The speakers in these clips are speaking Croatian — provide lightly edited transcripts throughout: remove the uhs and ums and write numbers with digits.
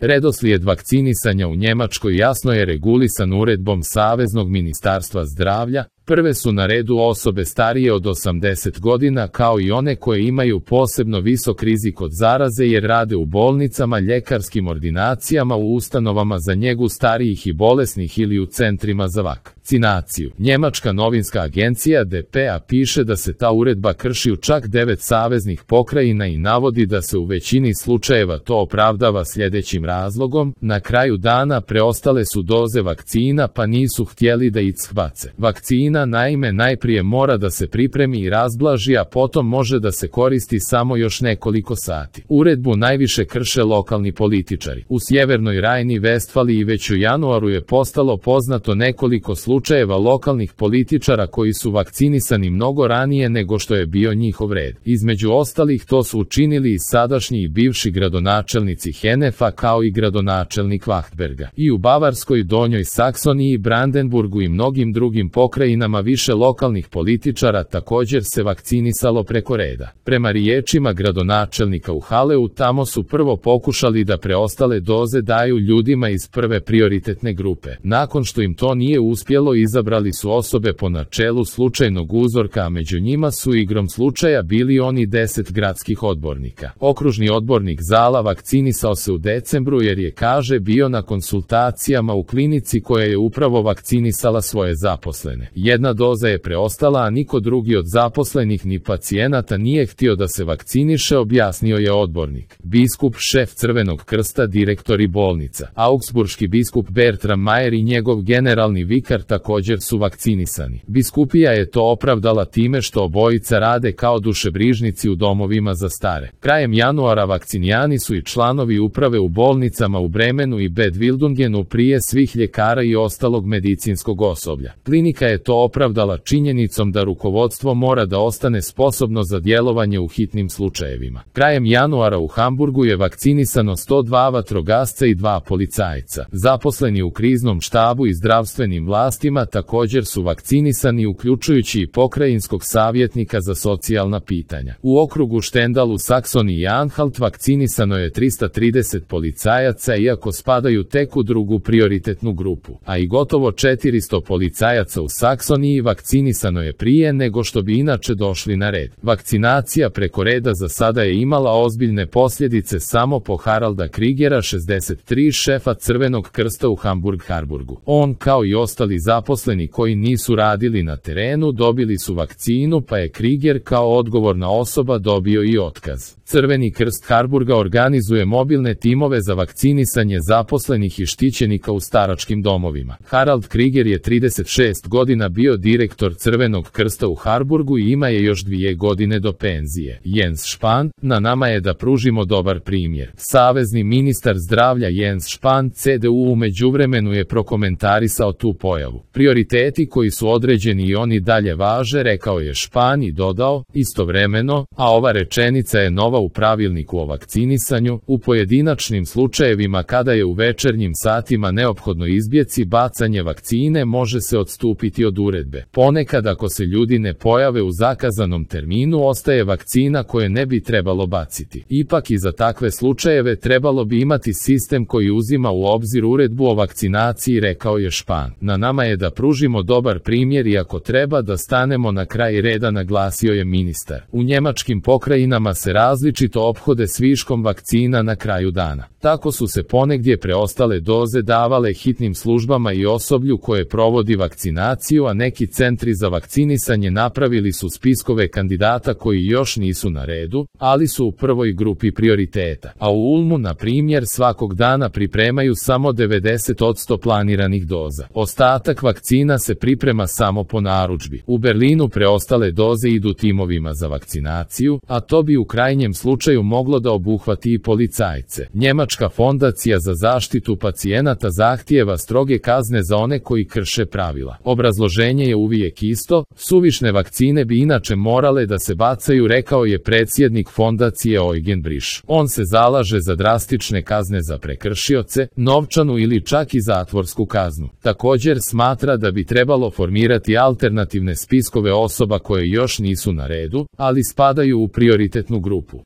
Redoslijed vakcinisanja u Njemačkoj jasno je regulisan uredbom Saveznog ministarstva zdravlja. Prve su na redu osobe starije od 80 godina kao i one koje imaju posebno visok rizik od zaraze jer rade u bolnicama, ljekarskim ordinacijama, u ustanovama za njegu starijih i bolesnih ili u centrima za vakcinaciju. Njemačka novinska agencija DPA piše da se ta uredba krši u čak 9 saveznih pokrajina i navodi da se u većini slučajeva to opravdava sljedećim razlogom: na kraju dana preostale su doze vakcina pa nisu htjeli da ih shvace. Vakcina naime najprije mora da se pripremi i razblaži, a potom može da se koristi samo još nekoliko sati. Uredbu najviše krše lokalni političari. U Sjevernoj Rajni-Vestfaliji već u januaru je postalo poznato nekoliko slučajeva lokalnih političara koji su vakcinisani mnogo ranije nego što je bio njihov red. Između ostalih to su učinili i sadašnji i bivši gradonačelnici Henefa kao i gradonačelnik Wachtberga. I u Bavarskoj, Donjoj Saksoniji, Brandenburgu i mnogim drugim pokrajinama više lokalnih političara također se vakcinisalo preko reda. Prema riječima gradonačelnika u Haleu, tamo su prvo pokušali da preostale doze daju ljudima iz prve prioritetne grupe. Nakon što im to nije uspjelo, izabrali su osobe po načelu slučajnog uzorka, a među njima su igrom slučaja bili oni 10 gradskih odbornika. Okružni odbornik Zala vakcinisao se u decembru jer je, kaže, bio na konsultacijama u klinici koja je upravo vakcinisala svoje zaposlene. Jedna doza je preostala, a niko drugi od zaposlenih ni pacijenata nije htio da se vakciniše, objasnio je odbornik. Biskup, šef Crvenog krsta, direktori bolnica. Augsburški biskup Bertram Mayer i njegov generalni vikar također su vakcinisani. Biskupija je to opravdala time što obojica rade kao dušebrižnici u domovima za stare. Krajem januara vakcinijani su i članovi uprave u bolnicama u Bremenu i Bad Wildungenu prije svih ljekara i ostalog medicinskog osoblja. Klinika je to opravdala činjenicom da rukovodstvo mora da ostane sposobno za djelovanje u hitnim slučajevima. Krajem januara u Hamburgu je vakcinisano 102 vatrogasca i 2 policajca. Zaposleni u kriznom štabu i zdravstvenim vlastima također su vakcinisani, uključujući i pokrajinskog savjetnika za socijalna pitanja. U okrugu Štendal u Saksoniji i Anhalt vakcinisano je 330 policajaca, iako spadaju tek u drugu prioritetnu grupu, a i gotovo 400 policajaca u Saksoniji vakcinisano je prije nego što bi inače došli na red. Vakcinacija preko reda za sada je imala ozbiljne posljedice samo po Haralda Krigera, 63, šefa Crvenog krsta u Hamburg-Harburgu. On, kao i ostali zaposleni koji nisu radili na terenu, dobili su vakcinu, pa je Kriger kao odgovorna osoba dobio i otkaz. Crveni krst Harburga organizuje mobilne timove za vakcinisanje zaposlenih i štićenika u staračkim domovima. Harald Kriger je 36 godina bio direktor Crvenog krsta u Harburgu i ima je još 2 godine do penzije. Jens Spahn: na nama je da pružimo dobar primjer. Savezni ministar zdravlja Jens Spahn, CDU, u međuvremenu je prokomentarisao tu pojavu. Prioriteti koji su određeni i oni dalje važe, rekao je Spahn i dodao: istovremeno, a ova rečenica je nova u pravilniku o vakcinisanju, u pojedinačnim slučajevima kada je u večernjim satima neophodno izbjeći bacanje vakcine može se odstupiti od uredbe. Ponekad ako se ljudi ne pojave u zakazanom terminu, ostaje vakcina koje ne bi trebalo baciti. Ipak i za takve slučajeve trebalo bi imati sistem koji uzima u obzir uredbu o vakcinaciji, rekao je Spahn. Na nama je da pružimo dobar primjer i ako treba da stanemo na kraj reda, naglasio je ministar. U njemačkim pokrajinama se različito ophode s viškom vakcina na kraju dana. Tako su se ponegdje preostale doze davale hitnim službama i osoblju koje provodi vakcinaciju, a neki centri za vakcinisanje napravili su spiskove kandidata koji još nisu na redu, ali su u prvoj grupi prioriteta. A u Ulmu, na primjer, svakog dana pripremaju samo 90% planiranih doza. Ostatak vakcina se priprema samo po narudžbi. U Berlinu preostale doze idu timovima za vakcinaciju, a to bi u krajnjem slučaju moglo da obuhvati i policajce. Njemačka fondacija za zaštitu pacijenata zahtijeva stroge kazne za one koji krše pravila. Obrazloženje je uvijek isto: suvišne vakcine bi inače morale da se bacaju, rekao je predsjednik fondacije Eugen Brisch. On se zalaže za drastične kazne za prekršioce, novčanu ili čak i zatvorsku kaznu. Također smatra da bi trebalo formirati alternativne spiskove osoba koje još nisu na redu, ali spadaju u prioritetnu grupu.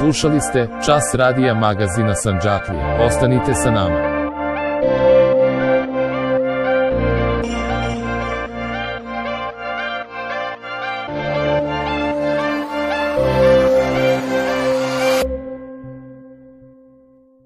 Slušali ste Čas radija magazina Sandžaklije. Ostanite sa nama.